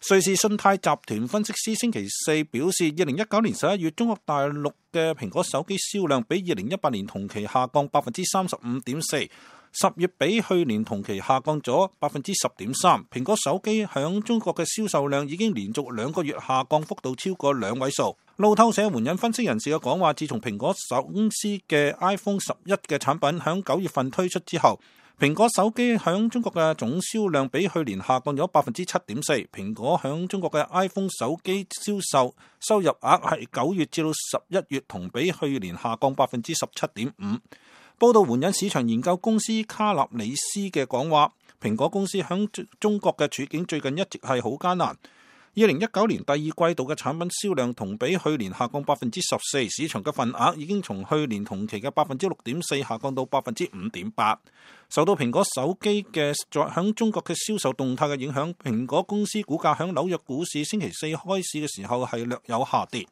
瑞士信貸集團分析師星期四表示，2019年11月中國大陸嘅蘋果手機銷量比2018年同期下降 35.4%， 10月比去年同期下降咗 10.3%。蘋果手機響中國嘅銷售量已經連續2個月下降幅度超過2位數。路透社援引分析人士嘅講話，自從蘋果公司嘅 iPhone 11嘅產品響9月份推出之後，蘋果手機響中國嘅總銷量比去年下降咗 7.4%。蘋果響中國嘅 iPhone 手機銷售收入額係9月至到11月同比去年下降 17.5%。報道援引市場研究公司卡納里斯嘅講話，蘋果公司響中國嘅處境最近一直係好艱難。2019年第二季度嘅產品銷量同比去年下降 14%， 市場嘅份額已經從去年同期嘅 6.4% 下降到 5.8%。受到蘋果手機嘅響中國嘅銷售動態嘅影響，蘋果公司股價響紐約股市星期四開市嘅時候係略有下跌。